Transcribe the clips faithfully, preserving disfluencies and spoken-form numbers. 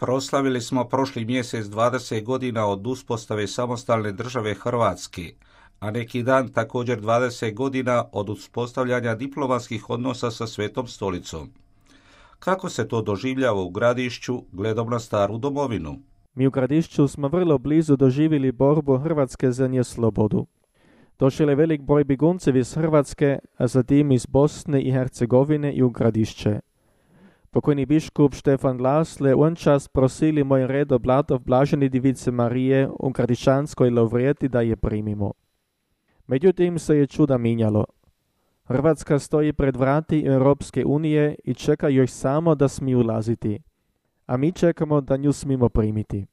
Proslavili smo prošli mjesec dvadeset godina od uspostave samostalne države Hrvatske, a neki dan također dvadeset godina od uspostavljanja diplomatskih odnosa sa Svetom stolicom. Kako se to doživljava u Gradišću gledom na staru domovinu? Mi u Gradišću smo vrlo blizu doživjeli borbu Hrvatske za nje slobodu. Došel je velik broj beguncev iz Hrvatske, a zatim iz Bosne i Hercegovine i u Gradišće. Pokojni biškup Štefan Lasle on čas prosili moj redo blatov blaženi divice Marije u Gradišćanskoj Lovrijeti da je primimo. Međutim se je čuda minjalo. Hrvatska stoji pred vrati Europske unije i čeka još samo da smiju ulaziti, a mi čekamo da nju smimo primiti.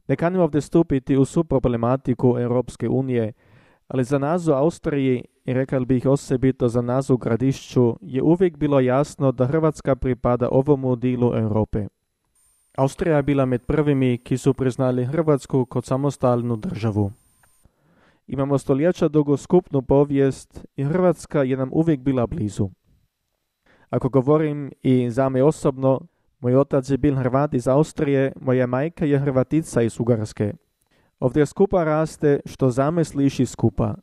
Ne kanimo ovdje stupiti u svu problematiku Europske unije, ali za nas u Austriji, i rekao bih osobito za nas u Gradišću, je uvijek bilo jasno da Hrvatska pripada ovomu dilu Europe. Austrija je bila med prvimi, ki su priznali Hrvatsku kot samostalnu državu. Imamo stoljeća dugu skupnu povijest i Hrvatska je nam uvijek bila blizu. Ako govorim i za me osobno, moj otac je bil Hrvat iz Austrije, moja majka je Hrvatica iz Ugarske. Ovdje skupa raste, što zame sliši skupa.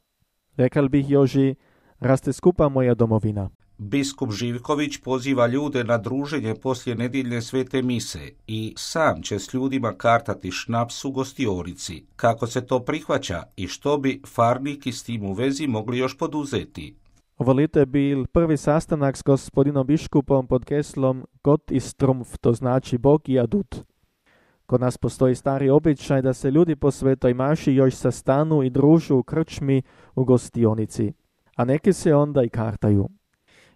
Rekal bih Joži, raste skupa moja domovina. Biskup Živković poziva ljude na druženje poslije nedjeljne svete mise i sam će s ljudima kartati šnaps u gostionici. Kako se to prihvaća i što bi farniki s tim u vezi mogli još poduzeti? Ovo lito je bil prvi sastanak s gospodinom biškupom pod geslom Gott ist Trumpf, to znači Bog i adut. Kod nas postoji stari običaj da se ljudi po svetoj maši još sastanu i družu u krčmi u gostionici, a neki se onda i kartaju.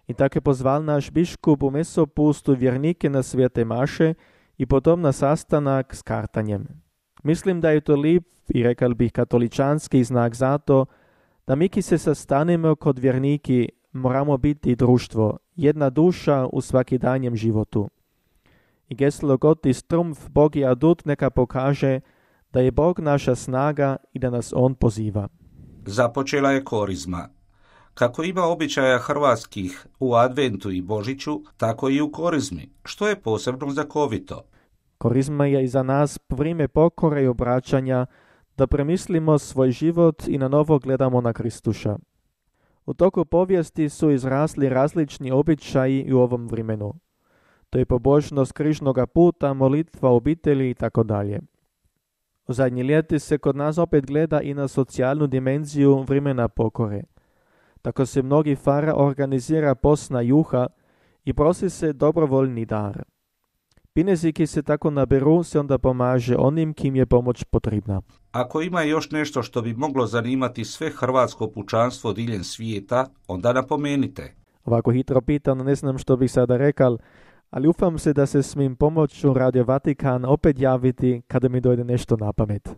I tako je pozval naš biškup u mesopustu vjernike na svete maše i potom na sastanak s kartanjem. Mislim da je to lijep i rekal bih katoličanski znak zato da mi ki se sastanemo kod vjerniki moramo biti društvo, jedna duša u svakidanjem životu. I geslo Gott ist Trumpf, Bog je adut neka pokaže da je Bog naša snaga i da nas On poziva. Započela je korizma. Kako ima običaja hrvatskih u Adventu i Božiću, tako i u korizmi, što je posebno znakovito. Korizma je i za nas vrijeme pokore i obraćanja, da premislimo svoj život i na novo gledamo na Kristuša. U toku povijesti su izrasli različni običaji i u ovom vremenu. To je pobožnost križnoga puta, molitva obitelji i tako dalje. U zadnji ljeti se kod nas opet gleda i na socijalnu dimenziju vremena pokore. Tako se mnogi fara organizira posna juha i prosi se dobrovoljni dar. Pinezi ki se tako naberu se onda pomaže onim kim je pomoć potrebna. Ako ima još nešto što bi moglo zanimati sve hrvatsko pučanstvo diljem svijeta, onda napomenite. Ovako hitro pitan, ne znam što bih sada rekal, ali ufam se da se smim pomoću Radio Vatikan opet javiti kada mi dojde nešto na pamet.